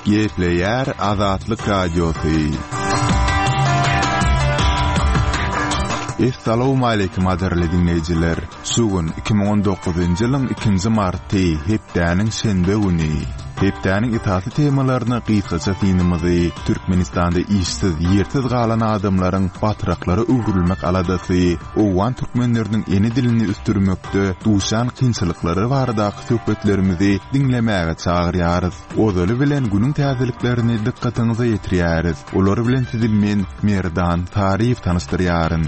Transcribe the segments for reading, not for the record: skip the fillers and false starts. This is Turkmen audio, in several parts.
Gepleýär Azatlyk Radiosy. Essalawmaleýkim gadyrly diňleýjiler! Şu gün 2019-njy ýylyň ikinji marty, hepdäniň şenbe güni. Hepdäniň esasy temalaryna gysgaça synymyzy, Türkmenistanda işsiz, ýersiz galan adamlaryň batraklara öwrülmek aladasy, owgan türkmenleriniň ene dilini ösdürmekde duşýan kynçylyklary baradaky söhbetlerimizi diňlemäge çagyrýarys. Ozaly bilen günüň täzeliklerini dykgatyňyza ýetirýäris. Olar bilen sizi men, Merdan Saryýew tanyşdyrýaryn.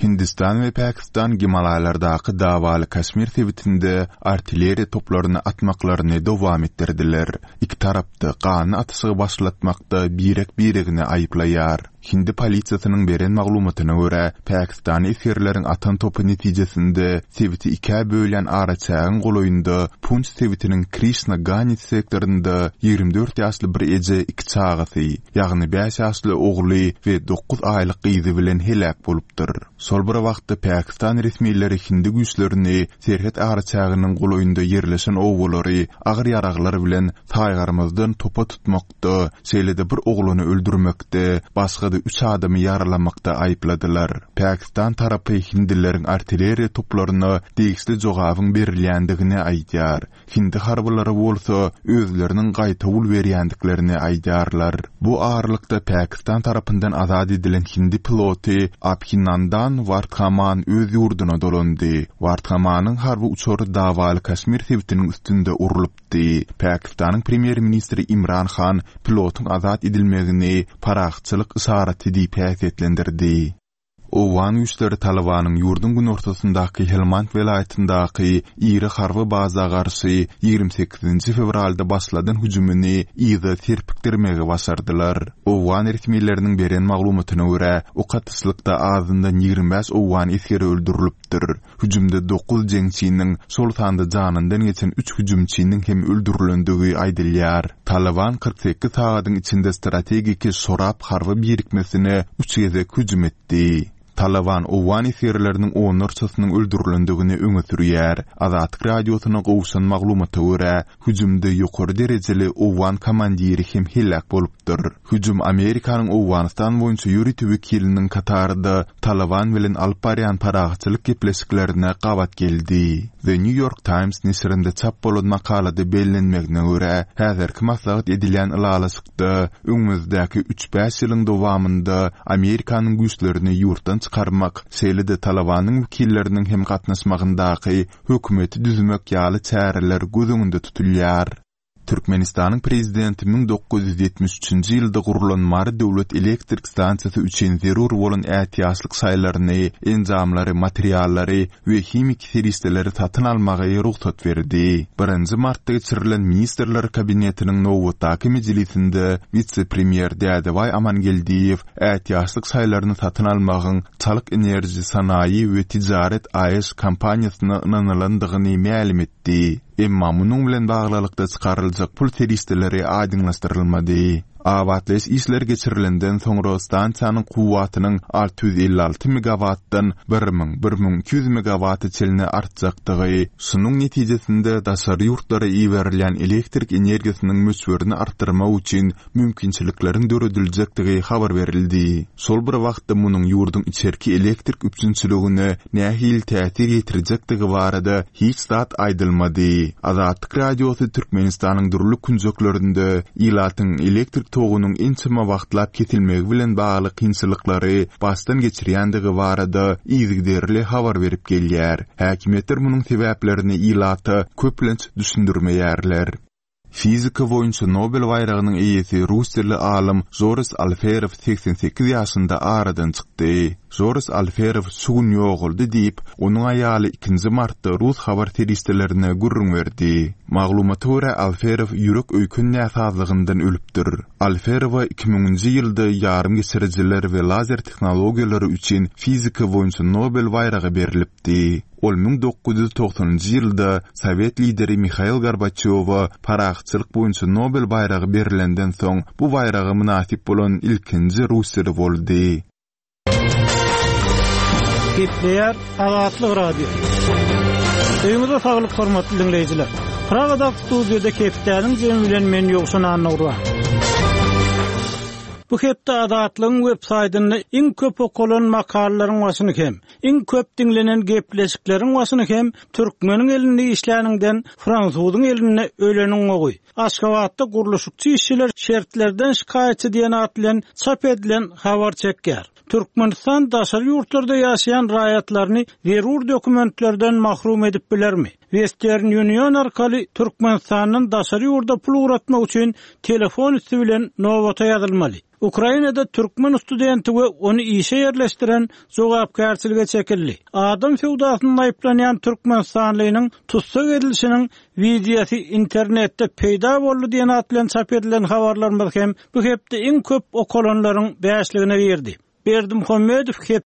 Hindistan we Pakistan Gimalaýlardaky dawaly Kaşmir sebitinde artilleriýa toplaryny atmaklaryny dowam etdirdiler. Iki tarap-da ganly atyşygy başlatmakda birek-biregini aýyplaýar. Hindi polisiýasynyň beren maglumatyna görä, pakistanly esgerleriň atan topy netijesinde sebiti ikä bölýän araçägiň golaýynda Punç sebitiniň Krişna Gani sektorynda 24 ýaşly bir eje iki çagasy, ýagny bäş ýaşly ogly we dokuz aýlyk gyzy bilen heläk bolupdyr. Şol bir wagtda pakistan resmileri hindi güýçlerini serhet araçäginiň golaýynda ýerleşen obalary agyr ýaraglar bilen saýgarmazdan topa tutmakda, şeýle-de bir oglany öldürmekde, başga-da üç adamy ýaralamakda aýypladylar. Pakistan tarapy hindileriň artilleriýa toplaryna degişli jogabyň berilýändigini aýdýar. Hindi harbylary bolsa özleriniň gaýtawul berýändiklerini aýdýarlar. Bu aralykda Pakistan tarapyndan azat edilen hindi piloty Abhinandan Wardhaman öz ýurduna dolandy. Wardhamanyň harby uçary dawaly Kaşmir sebitiniň üstünde urlupdy. Pakistanyň premýer-ministri Imran Han pilotyň azat edilmegini parahatçylyk yşaraty diýip häsiýetlendirdi. Owgan güýçleri Talybanyň ýurduň günortasyndaky Helmand welaýatyndaky iri harby baza garşy 28-nji fewralda başladan hüjümini yza serpikdirmegi başardylar. Owgan resmileriniň beren maglumatyna görä, ok atyşlykda azyndan 25 owgan esgeri öldürilipdir. Hüjümde dokuz jeňçiniň, şol sanda janyndan geçen üç hüjümçiniň hem öldürilendigi aýdylýar. Talyban 48 sagadyň içinde strategiki Şorab harby birikmesine üç gezek hüjüm etdi. Talyban owgan esgerleriniň onlarçasynyň öldürilendigini öňe sürýär. Azatlyk Radiosyna gowşan maglumata görä, hüjümde ýokary derejeli owgan komandiri hem heläk bolupdyr. Hüjüm Amerikanyň Owganystan boýunça ýörite wekiliniň Katarda Talyban bilen alyp barýan parahatçylyk gepleşiklerine gabat geldi. The New York Times neşirinde çap bolan makalada bellenmegine görä, häzirki maslahat edilýän ylalaşykda öňümizdäki üç-bäş ýylyň dowamynda Amerikanyň güýçlerini ýurtdan çykarmak, şeýle-de Talybanyň wekilleriniň hem gatnaşmagyndaky hökümeti düzmek ýaly çäreler göz öňünde tutulýar. Türkmenistanyň Prezidenti 1973-nji ýylda gurlan Mary döwlet elektrik stansiýasy üçin zerur bolan ätiýaçlyk şaýlaryny, enjamlary, materiallary we himiki serişdeleri satyn almagy rugsat berdi. Birinji martda geçirilen Ministrler Kabinetiniň nobatdaky mejlisinde wise-premýer Dädebaý Amangeldiýew ätiýaçlyk şaýlaryny satyn almagyň Çalyk Enerji Sanaýy we Tijaret AŞ kompaniýasyna ynanylandygyny mälim etdi. Emma munuň bilen baglylykda çykaryljak pul serişdeleri aýdyňlaşdyrylmady. Abatlaýyş işleri geçirilenden soňra stansiýanyň kuwwatynyň 656 megawatdan 1000, 1200 megawata çenli artjakdygy, şunuň netijesinde daşary ýurtlara iberilýän elektrik energiýasynyň möçberini artdyrmak üçin mümkinçilikleriň dörediljekdigi habar berildi. Şol bir wagtda munuň ýurduň içerki elektrik üpjünçiligine nähili täsir ýetirjekdigi barada hiç zat aýdylmady. Azatlyk Radiosy Türkmenistanyň dürli künjeklerinde ilatyň elektrik togunyň ençeme wagtlap kesilmegi bilen bagly kynçylyklary başdan geçirýändigi barada yzygiderli habar berip gelýär. Häkimiýetler munuň sebäplerini ilata köplenç düşündirmeýärler. Fizika boýunça Nobel baýragynyň eýesi russiýaly alym Žores Alferow 88 ýaşynda aradan çykdy. Žores Alferow şu gün ýogaldy diýip, onuň aýaly ikinji martda rus habar serişdelerine gürrüň berdi. Maglumata görä, Alferow ýürek-öýken näsazlygyndan ölüpdir. Alferowa iki müňünji ýylda ýarymgeçirijiler we lazer tehnologiýalary üçin fizika boýunça Nobel baýragy berlipdi. Ol 1990-njy ýylda sowet lideri Mihail Gorbaçýowa parahatçylyk boýunça Nobel baýragy berlenden soň bu baýraga mynasyp bolan ilkinji russiýaly boldy. Gepleýär Azatlyk Radiosy. Öýüňize saglyk hormatly diňleýjiler. Pragadaky studiýada hepdäniň jemi bilen men Ýowşan Annagurban. Bu hepde Azatlygyň web saýtynda iň köp okalan makalalaryň başyny hem, iň köp diňlenen gepleşikleriň başyny hem türkmeniň elinde işläniňden fransuzyň elinde öleniň gowy. Aşgabatda gurluşykçy işçiler şertlerden şikaýatçy diýen at bilen çap edilen habar çekýär. Türkmenistan daşary ýurtlarda ýaşaýan raýatlaryny zerur dokumentlerden mahrum edip bilermi? Western Union arkaly Türkmenistandan daşary ýurda pul ugratmak üçin telefon üsti bilen nobata ýazylmaly. Ukrainada türkmen studenti we ony işe ýerleşdiren jogapkärçilige çekildi. Adam söwdasynda aýyplanýan türkmenistanlynyň tussag edilişiniň wideosy internetde peýda boldy diýen at bilen çap edilen habarlarymyz hem bu hepde iň köp okalanlaryň bäşligine girdi. Berdimuhamedow hep.